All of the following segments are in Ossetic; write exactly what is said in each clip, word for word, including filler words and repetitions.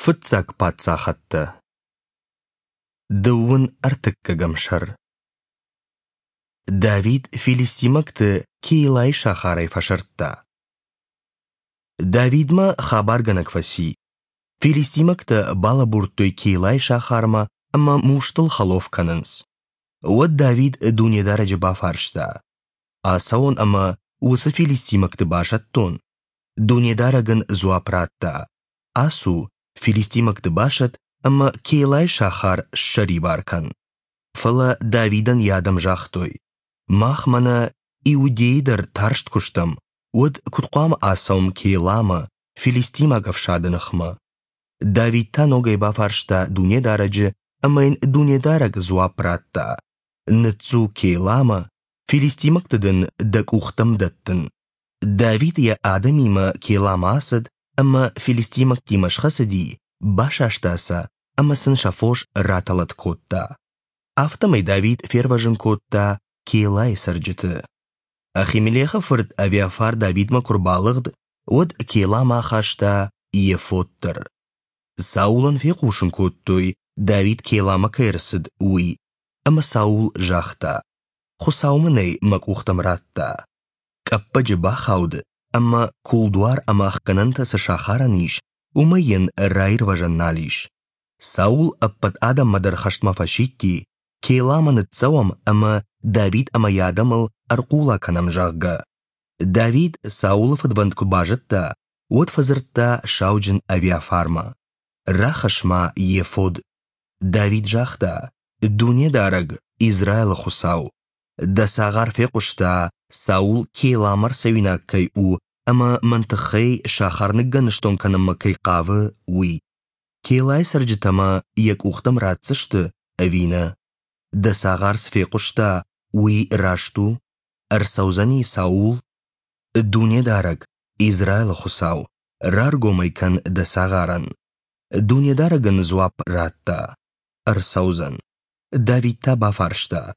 Фыццаг паддзахӕдтӕ. Дыууын ӕртыккӕгӕм сӕр. Давид филистимӕгты Кейлайы сахарӕй фӕсырдта. Давидмӕ хабаргӕнӕг фӕци. Филистимӕгтӕ балӕбурдтой Кейлайы сахармӕ ӕмӕ мустыл хӕлоф кӕнынц. Уӕд Давид Дунедарӕджы бафарста: «Ацӕуон ӕмӕ уыцы филистимӕгты басӕттон?» Дунедарӕг ын дзуапп радта: «Ацу, филистимӕгты басӕтт ӕмӕ Кейлайы сахар ссӕрибар кӕн». Фӕлӕ Давидӕн йӕ адӕм загътой: «Мах мӕнӕ Иудейы дӕр тарст куы стӕм, уӕд куыд хъуамӕ ацӕуӕм Кейламӕ, филистимаг ӕфсады ныхмӕ?» Давид та ногӕй бафарста Дунедарӕджы, ӕмӕ йын Дунедарӕг дзуапп радта: «Ныццу Кейламӕ, филистимӕгты дын дӕ къухтӕм дӕттын». Давид йӕ адӕмимӕ Кейламӕ ацыд ӕмӕ филистимӕгтимӕ схӕцыди, басаста сӕ ӕмӕ сын сӕ фос ратӕлӕт кодта. Афтӕмӕй Давид фервӕзын кодта Кейлайы цӕрджыты. Ахимелехы фырт Авиафар Давидмӕ куы рбалыгъд, уӕд Кейламӕ ахаста ефод дӕр. Саулӕн фехъусын кодтой, Давид Кейламӕ кӕй ӕрцыд, уый, ӕмӕ Саул загъта: «Хуыцау мын ӕй мӕ къухтӕм радта». Къӕппӕджы бахауд ӕмӕ кулдуар ӕмӕ ӕхгӕнӕнтӕ цы сахарӕн ис, уымӕй йын раирвӕзӕн нал ис. Саул ӕппӕт адӕммӕ дӕр хӕстмӕ фӕсидти, Кейламӕ ныццӕуӕм ӕмӕ Давид ӕмӕ йӕ адӕмыл ӕрхъула кӕнӕм, зӕгъгӕ. Давид Саулы фыдвӕнд куы базыдта, уӕд фӕдзырдта сауджын Авиафармӕ: «Рахӕсс-ма ефод». Давид загъта: «Дунедарӕг, Израилы Хуыцау, дӕ цагъар фехъуыста, Саул Кейламӕ ӕрцӕуинаг кӕй у ӕмӕ мӕн тыххӕй сахар ныггӕныстон кӕнынмӕ кӕй хъавы, уый. Кейлайы цӕрджытӕ мӕ йӕ къухтӕм ратдзысты ӕви нӕ? Дӕ цагъар цы фехъуыста, уый раст у? Ӕрцӕудзӕни Саул? Дунедарӕг, Израилы Хуыцау, раргом ӕй кӕн дӕ цагъарӕн». Дунедарӕг ын дзуапп радта: «Ӕрцӕудзӕн». Давид та бафарста: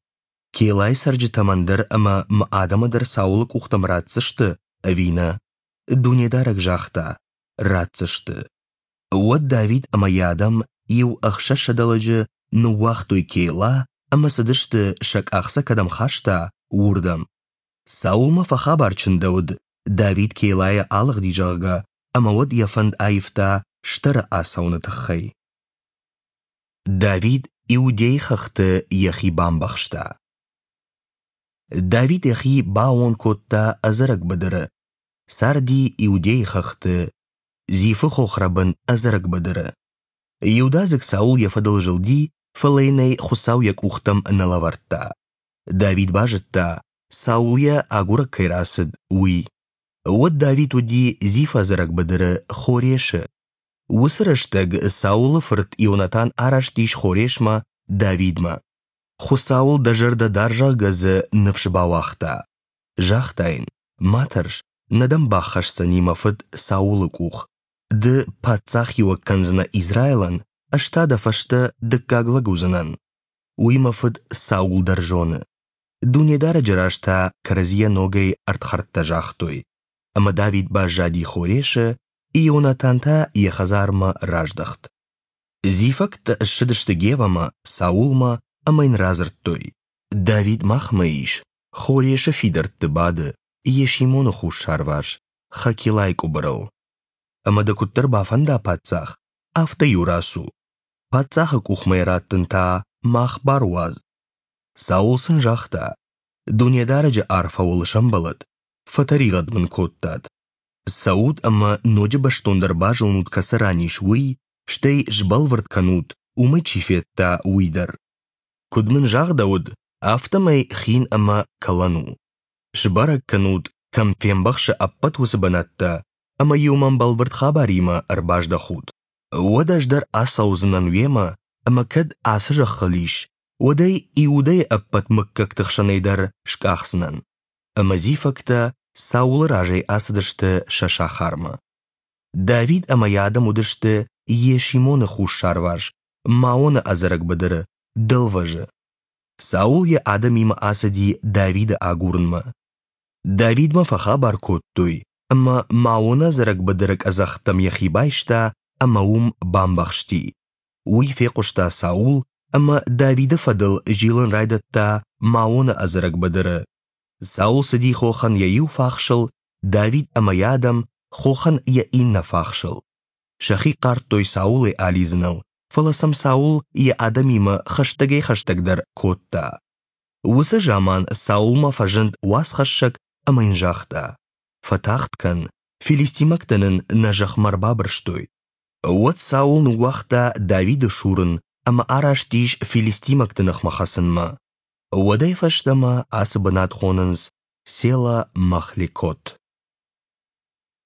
«Кейлайы цӕрджытӕ мӕн дӕр ӕмӕ мӕ адӕмы дӕр Саулы къухтӕм ратдзысты ӕви нӕ?» Дунедарӕг загъта: «Ратдзысты». Уӕд Давид ӕмӕ йӕ адӕм иу ӕхсӕзсӕдӕ лӕджы ныууагътой Кейла ӕмӕ цыдысты, сӕ къах сӕ кӕдӕм хаста, уырдӕм. Саулмӕ фӕхабар чындӕуыд, Давид Кейлайӕ алыгъди, зӕгъгӕ, ӕмӕ уӕд йӕ фӕнд аивта стӕры ацӕуыны тыххӕй. Давид Иудейы хӕхты йӕхи бамбӕхста. Давид йӕхи баууон кодта ӕдзӕрӕг быдыры, царди Иудейы хӕхты, Зифы хохрӕбын ӕдзӕрӕг быдыры. Иудадзыг Саул йӕ фӕдыл зылди, фӕлӕ йын ӕй Хуыцау йӕ къухтӕм нӕ лӕвӕрдта. Давид базыдта, Саул йӕ агурӕг кӕй рацыд, уый. Уӕд Давид уыди Зифы ӕдзӕрӕг быдыры Хорешы. Уыцы рӕстӕг Саулы фырт Ионатан араст ис Хорешмӕ Давидмӕ. Хуыцауыл дӕ зӕрдӕ дар, зӕгъгӕ дзы ныфс бауагъта. Загъта йын: «Ма тӕрс, нӕ дӕм баххӕсдзӕни мӕ фыд Саулы къух. Ды паддзахиуӕг кӕндзынӕ Израилӕн, ӕз та дӕ фӕстӕ дыккаг лӕг уыдзынӕн. Уый мӕ фыд Саул дӕр зоны». Дунедарӕджы раз та кӕрӕдзийӕ ногӕй ӕрдхӕрдтӕ загътой. Ӕмӕ Давид баззади Хорешы, Ионатан та йӕ хӕдзармӕ раздӕхт. Зифӕгтӕ ссыдысты Гевӕмӕ, Саулмӕ ӕмӕ йын радзырдтой: «Давид махмӕ ис, Хорешы фидӕртты бады, Есимоны хуссарварс, Хакилайы къуыбырыл. Ӕмӕ дӕ куыддӕр бафӕнда паддзах, афтӕ-иу рацу. Паддзахы къухмӕ йӕ раттын та мах бар уадз». Саул сын загъта: «Дунедарӕджы арфӕ уыл сӕмбӕлӕд, фӕтӕригъӕд мын кодтат. Цӕут ӕмӕ ноджы бӕстондӕр базонут, кӕцы ран ис, уый, стӕй сбӕлвырд кӕнут, уымӕй чи федта, уый дӕр. Куыд мын загъдӕуыд, афтӕмӕй хин ӕмӕ кӕлӕн у. Сбӕрӕг кӕнут, кӕм фембӕхсы ӕппӕт уыцы бынӕттӕ, ӕмӕ-иу мӕм бӕлвырд хабаримӕ ӕрбаздӕхут. Уӕд ӕз дӕр ацӕудзынӕн уемӕ, ӕмӕ кӕд ацы зӕххыл ис, уӕд ӕй Иудӕйы ӕппӕт мыггӕгты хсӕнӕй дӕр скъахдзынӕн». Ӕмӕ зифӕгтӕ Саулы разӕй ацыдысты сӕ сахармӕ. Давид ӕмӕ йӕ адӕм уыдысты Есимоны хуссарварс, Маоны ӕдзӕрӕг быдыры, дӕлвӕзы. Саул йӕ адӕмимӕ ацыди Давиды агурынмӕ. Давидмӕ фӕхабар кодтой, ӕмӕ Маоны ӕдзӕрӕг быдыры къӕдзӕхтӕм йӕхи байста ӕмӕ уым бамбӕхсти. Уый фехъуыста Саул ӕмӕ Давиды фӕдыл зилын райдыдта Маоны ӕдзӕрӕг быдыры. Саул цыди хохӕн йӕ иу фахсыл, Давид ӕмӕ йӕ адӕм хохӕн йӕ иннӕ фахсыл. Сӕхи хъардтой Саулӕй алидзыныл, фӕлӕ сӕм Саул йӕ адӕмимӕ хӕстӕгӕй-хӕстӕгдӕр кодта. Уыцы заман Саулмӕ фӕзынд уацхӕссӕг ӕмӕ йын загъта: «Фӕтагъд кӕн, филистимӕгтӕ нын нӕ зӕхмӕ ӕрбабырстой». Уӕд Саул ныууагъта Давиды сурын ӕмӕ араст ис филистимӕгты ныхмӕ хӕцынмӕ. Уӕдӕй фӕстӕмӕ ацы бынат хонынц Села-Махлекот.